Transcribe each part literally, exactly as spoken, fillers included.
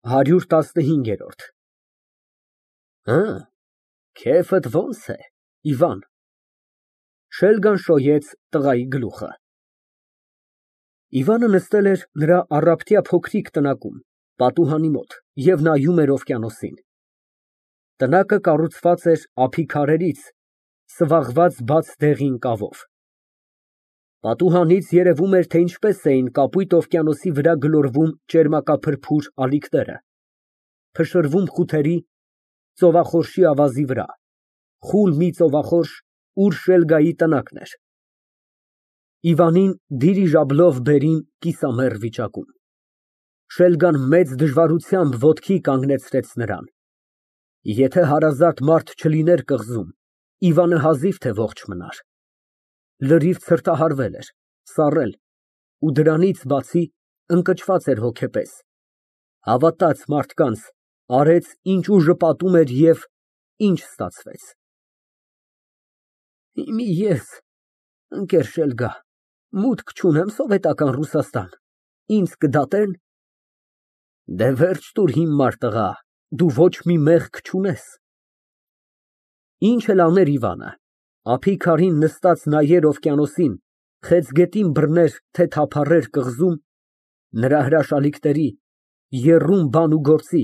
հարյուր տասնհինգ։ Հը, քեֆդ ո՞նց է, Իվան։ Շելգան շոյեց տղայի գլուխը։ Իվանը նստել էր նրա առափտյա փոքրիկ տնակում, պատուհանի մոտ և նայում էր օվկիանոսին։ Տնակը կառուցված էր ափի քարերից, սվաղված բաց դեղին կավով։ Պատուհանից երևում էր, թե ինչպես էին կապույտ օվկիանոսի վրա գլորվում ճերմակափրփուր ալիքները, փշրվում խութերի, ծովախորշի ավազի վրա, խուլ մի ծովախորշ, ուր Շելգայի տնակն էր։ Իվանին դիրիժաբլով բերին կիսամեռ վիճակում։ Շելգան մեծ դժվարությամբ ոտքի կանգնեցրեց նրան։ Եթե հարազատ մարդ չլիներ կղզում, Իվանը հազիվ թե ողջ մնար։ Լրիվ ցրտահարվել էր, սառել ու դրանից բացի ընկճված էր հոգեպես, հավատաց մարդկանց, արեց, ինչ ուժը պատում էր և ինչ ստացվեց։ Հիմի ես, ընկեր Շելգա, մուտք չունեմ սովետական Ռուսաստան, ինձ կդատե՞ն։ Դե վերջ տուր հիմար տղա, դու ոչ մի մեղք չունես։ Ինչ էլ աներ Իվանը, ափի քարին նստած նայեր օվկիանոսին, խեցգետին բռներ, թե թափառեր կղզում, նրա հրաշալիքների, եռում բան ու գործի,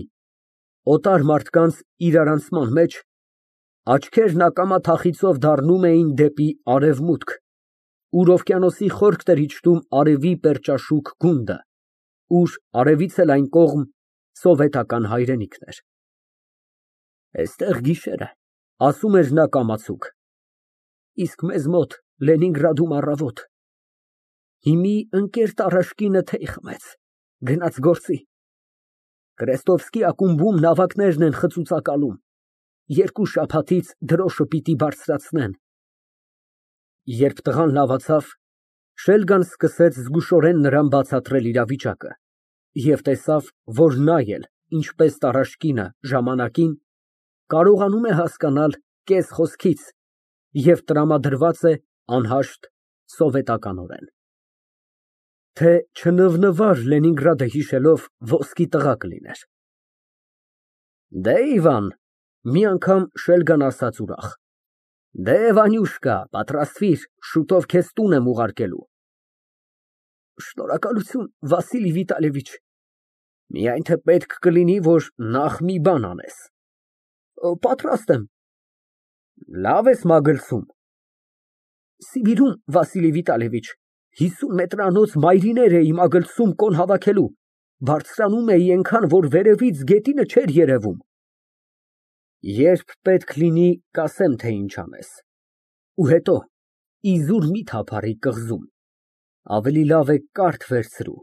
օտար մարդկանց իրարանցման մեջ, աչքերն ակամա թախիծով դառնում էին դեպի արևմուտք, ուր օվկիանոսի խորքն էր իջնում արևի պերճաշուք գունդը, ուր արևից էլ այն կողմ սովետական հայրենիքն էր։ Էստեղ գիշեր է, ասում էր նա կամացուկ, իսկ մեզ մոտ Լենինգրադում առավոտ։ Հիմի ընկեր Տարաշկինը թեյ խմեց, գնաց գործի։ Կրեստովսկի ակումբում նավակներն են խծուծակալում, երկու շաբաթից դրոշը պիտի բարձրացնեն։ Երբ տղան լավացավ, Շելգան սկսեց զգուշորեն նրան բացատրել իրավիճակը և տեսավ, որ նա էլ, ինչպես Տարաշկինը, ժամանակին, կարողանում է հասկանալ կես խոսքից և տրամադրված է անհաշտ սովետականորեն, թե չնվնվար Լենինգրադը հիշելով, ոսկի տղա կլիներ։ Դե, Իվան, մի անգամ Շելգան ասաց ուրախ, դե, Վանյուշկա, պատրաստվիր, շուտով քեզ տուն եմ ուղարկելու։ Շնորհակալություն, Վասիլի Վիտալիևիչ, միայն թե պետք կլինի, որ նախ մի բան անես։ Պատրաստ եմ։ Լավ ես մագլցում։ Սիբիրում, Վասիլի Վիտալիևիչ, հիսուն մետրանոց մայրիներ էի մագլցում կոն հավաքելու, բարձրանում էի այնքան, որ վերևից գետինը չէր երևում։ Երբ պետք լինի, կասեմ, թե ինչ անես։ Ու հետո իզուր մի թափառիր կղզում, ավելի լավ է կարթ վերցրու,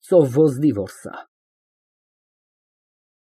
ծով ոզնի, որ սա։